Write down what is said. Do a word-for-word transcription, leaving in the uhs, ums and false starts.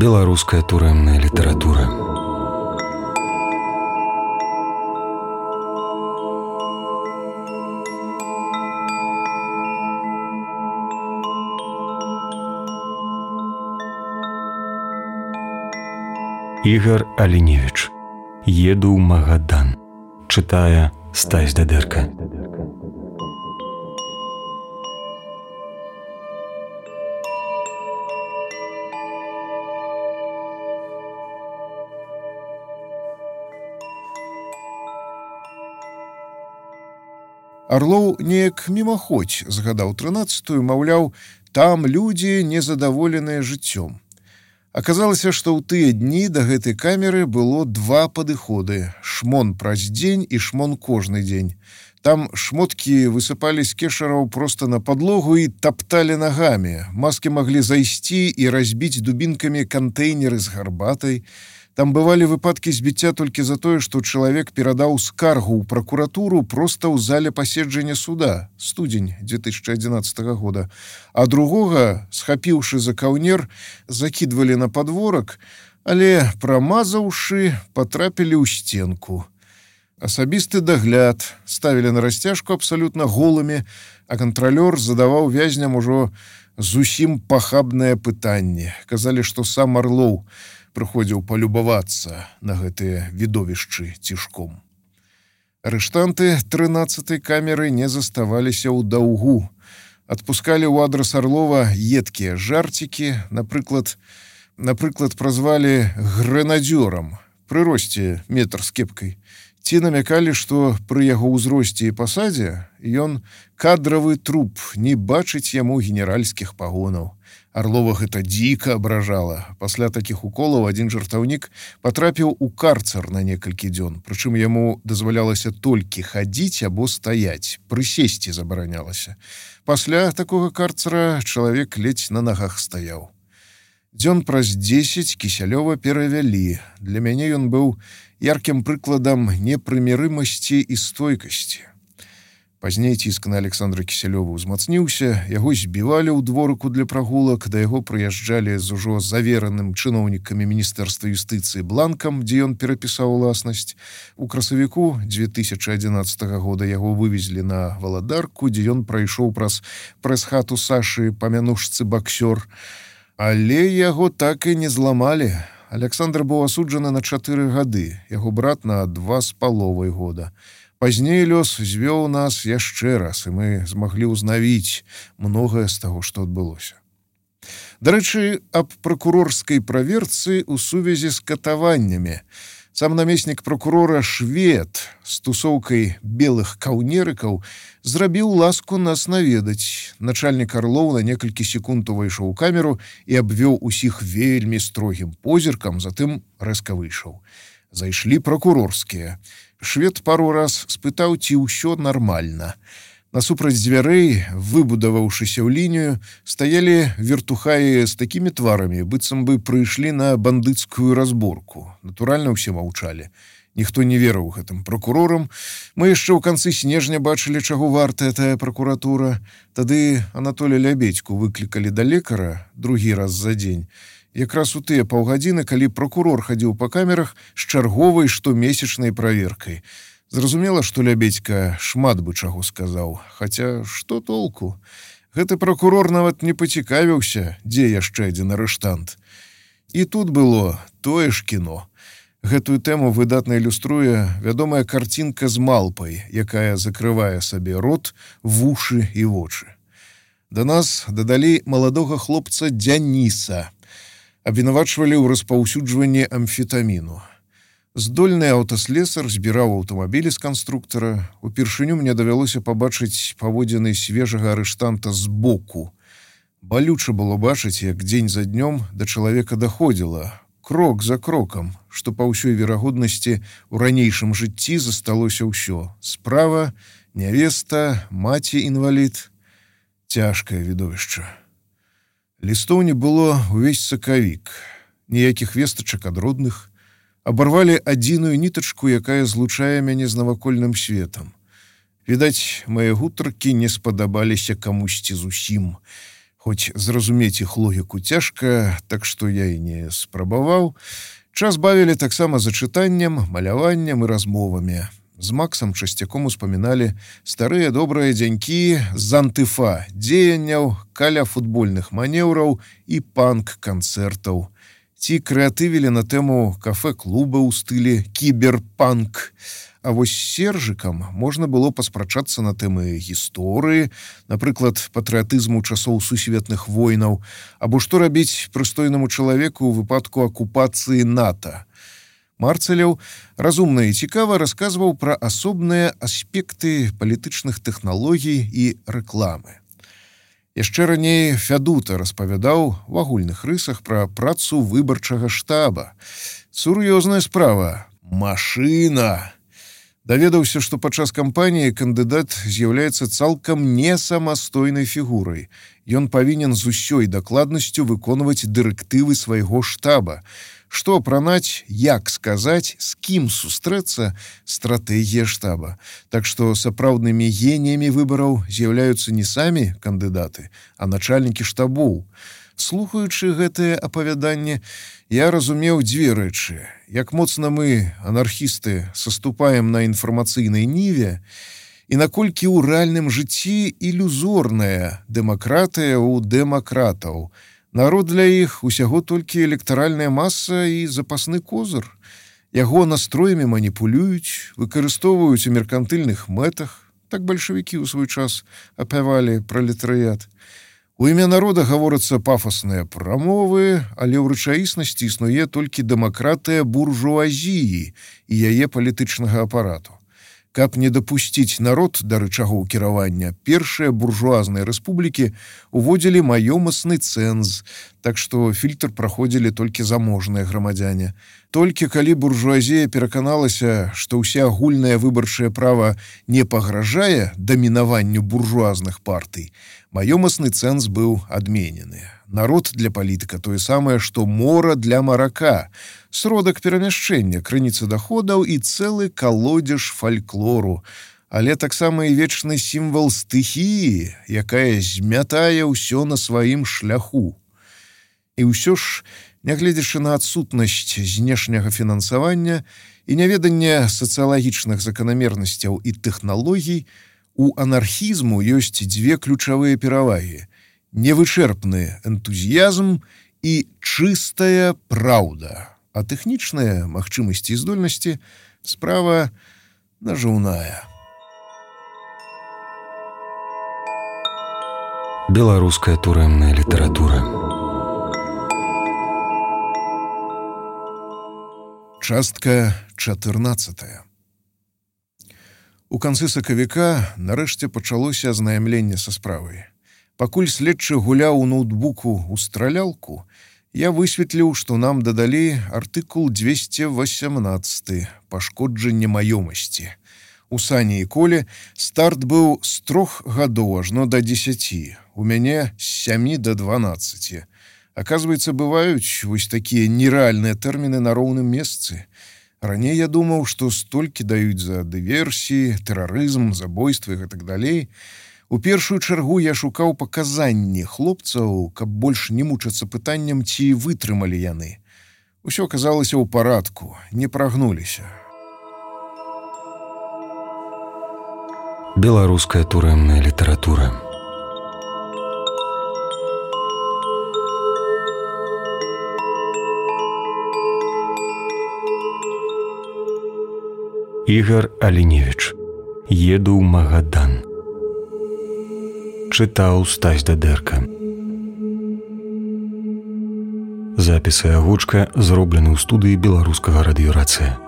Беларуская турэмная літаратура. Ігар Аліневіч. Еду ў Магадан. Чытае Стась Дадэрка. Арлоў неяк мімаходзь згадаў трынаццатую, маўляў, там людзі незадаволеныя жыццём. Аказалася, што ў тыя дні да гэтай камеры было два падыходы: шмон праз дзень і шмон кожны дзень. Там шмоткі высыпалі з кешараў проста на падлогу і тапталі нагамі. Маскі маглі зайсці і разбіць дубінкамі кантэйнеры з гарбатай. Там бывалі выпадкі збіцця толькі за тое, што чалавек перадаў скаргу ў пракуратуру проста ў зале паседжання суда, студзень две тысячы адзінаццатага года, а другога, схапіўшы за каўнер, закідвалі на падворак, але, прамазаўшы, патрапілі ў сценку. Асабісты дагляд ставілі на расцяжку абсалютна голымі, а кантралёр задаваў вязням ужо зусім пахабнае пытанне. Казалі, што сам Арлоў прыходзіў палюбавацца на гэтыя відовішчы цішком. Арыштанты трынаццатай камеры не заставаліся ў даўгу. Адпускалі ў адрас Арлова едкія жарцікі, напрыклад, напрыклад, празвалі грэнадзёрам, пры росце метр з кепкай. Ці намякалі, што пры яго ўзросце і пасадзе ён кадравы труп, не бачыць яму генеральскіх пагонаў. Арлова гэта дзіка абражала. Пасля такіх уколаў адзін жартаўнік патрапіў у карцар на некалькі дзён, прычым яму дазвалялася толькі хадзіць або стаяць, прысесці забаранялася. Пасля такога карцара чалавек ледзь на нагах стаяў. Дзён праз дзесяць Кісялёва перавялі. Для мяне ён быў яркім прыкладам непрымірымасці і стойкасці. Пазней ціск на Александра Кісялёва ўзмацніўся, яго збівалі ў дворыку для прагулак, да яго прыязджалі з ужо завераным чыноўнікамі Міністэрства юстыцыі бланкам, дзе ён перапісаў уласнасць. У красавіку две тысячы адзінаццатага года яго вывезлі на Валадарку, дзе ён прайшоў праз прэс-хату Сашы па мянушцы баксёр. Але яго так і не зламалі. Александр быў асуджаны на чатыры гады, яго брат на два з паловай года. Пазней лёс звёў нас яшчэ раз, і мы змаглі ўзнавіць многае з таго, што адбылося. Дарэчы, аб пракурорскай праверцы ў сувязі з катаваннямі. Сам намеснік пракурора Швед з тусоўкай белых каўнерыкаў зрабіў ласку нас наведаць. Начальнік Арлоў на некалькі секунд увайшоў у камеру і абвёў усіх вельмі строгім позіркам, затым рэзка выйшаў. Зайшлі пракурорскія. Швед пару раз спытаў, ці ўсё нармальна. Насупраць дзвярэй, выбудаваўшыся ў лінію, стаялі вертухаі з такімі тварамі, быццам бы прыйшлі на бандыцкую разборку. Натуральна, ўсе маўчалі. Ніхто не верыў гэтым пракурорам. Мы яшчэ ў канцы снежня бачылі, чаго вартая тая пракуратура. Тады Анатолія Лябедзьку выклікалі да лекара другі раз за дзень. Якраз у тыя паўгадзіны, калі пракурор хадзіў па камерах з чарговай штомесячнай праверкай. Зразумела, што Лябедзька шмат бы чаго сказаў. Хаця, што толку? Гэты пракурор нават не пацікавіўся, дзе яшчэ адзін арыштант. І тут было тое ж кіно. Гэтую тэму выдатна ілюструе вядомая карцінка з малпай, якая закрывае сабе рот, вушы і вочы. Да нас дадалі маладога хлопца Дзяніса. Абвінавачвалі ў распаўсюджванні амфетаміну. Здольны аўтаслесар збіраў аўтамабілі з канструктара. Упершыню мне давялося пабачыць паводзіны свежага арыштанта збоку. Балюча было бачыць, як дзень за днём да чалавека даходзіла, крок за крокам, што па ўсёй верагоднасці ў ранейшым жыцці засталося ўсё. Справа, нявеста, маці-інвалід. Цяжкае відовішча. Лістоў не было ўвесь сакавік, ніякіх вестачак ад родных. Абарвалі адзіную нітачку, якая злучае мяне з навакольным светам. Відаць, мае гутаркі не спадабаліся камусьці зусім. Хоць зразумець іх логіку цяжка, так што я і не спрабаваў. Час бавілі таксама за чытаннем, маляваннем і размовамі. З Максам часцяком успаміналі старыя добрыя дзянькі з антыфа дзеянняў, каля футбольных манеўраў і панк-канцэртаў. Ці крэатывілі на тэму кафэ-клуба ў стылі кіберпанк. А вось з Сержыкам можна было паспрачацца на тэмы гісторыі, напрыклад, патрыятызму часоў сусветных войнаў, або што рабіць прыстойнаму чалавеку ў выпадку акупацыі НАТО. Марцеляў разумна і цікава расказваў пра асобныя аспекты палітычных тэхналогій і рэкламы. Яшчэ раней Фядута распавядаў в агульных рысах пра працу выбарчага штаба. Сур'ёзная справа. Машына! Даведаўся, што падчас кампаніі кандыдат з'яўляецца цалкам не самастойнай фігурай. Ён павінен з усёй дакладнасцю выконваць дырэктывы свайго штаба. Што апранаць, як сказаць, з кім сустрэцца стратэгія штаба. Так што сапраўднымі геніямі выбараў з'яўляюцца не самі кандыдаты, а начальнікі штабоў. Слухаючы гэтае апавяданне, я разумеў дзве рэчы. Як моцна мы, анархісты, саступаем на інфармацыйнай ніве, і наколькі ў рэальным жыцці ілюзорная дэмакратыя ў дэмакратаў. Народ для іх усяго толькі электаральная маса і запасны козыр. Яго настроямі маніпулююць, выкарыстоўваюць у меркантыльных мэтах. Так бальшавікі ў свой час апявалі пралетарыят. У імя народа гаворацца пафасныя прамовы, але ў рэчаіснасці існуе толькі дэмакратыя буржуазіі і яе палітычнага апарату. Каб не дапусціць народ да рычагоў кіравання, першыя буржуазныя рэспублікі уводзілі маёмасны цэнз, так што фільтр праходзілі толькі заможныя грамадзяне. Толькі калі буржуазія пераканалася, што ўсеагульнае выбарчае права не пагражае дамінаванню буржуазных партый, маёмасны цэнз быў адменены. Народ для палітыка тое самае, што мора для марака, сродак перамяшчэння, крыніца даходаў і цэлы калодзеж фальклору, але таксама і вечны сімвал стыхіі, якая змятае ўсё на сваім шляху. І ўсё ж, нягледзячы на адсутнасць знешняга фінансавання і няведанне сацыялагічных заканамернасцяў і тэхналогій, у анархізму ёсць дзве ключавыя перавагі: невычэрпны энтузіязм і чыстая праўда, а тэхнічныя магчымасці і здольнасці справа нажыўная. Беларуская турэмная літаратура. Частка чатырнаццатая. У канцы сакавіка нарэшце пачалося азнаямленне са справай. Пакуль следчы гуляў у ноутбуку ў стралялку, я высветліў, што нам дадалі артыкул дзвесце васямнаццаты «Пашкоджанне маёмасці». У Сані і Коле старт быў з трох гадоў ажно да дзесяці, у мяне з сямі да дванаццаці. Аказваецца, бываюць вось такія нерэальныя тэрміны на роўным месцы. Раней я думаў, што столькі даюць за дыверсіі, тэрарызм, забойствы і гэтак далей. У першую чаргу я шукаў паказанні хлопцаў, каб больш не мучацца пытаннем, ці вытрымалі яны. Усё аказалася ў парадку, не прагнуліся. Беларуская турэмная літаратура. Ігар Аліневіч. Еду ў Магадан. Чытаў Стась Дадэрка. Запісы агучка зроблены ў студыі беларускага радыёрацыя.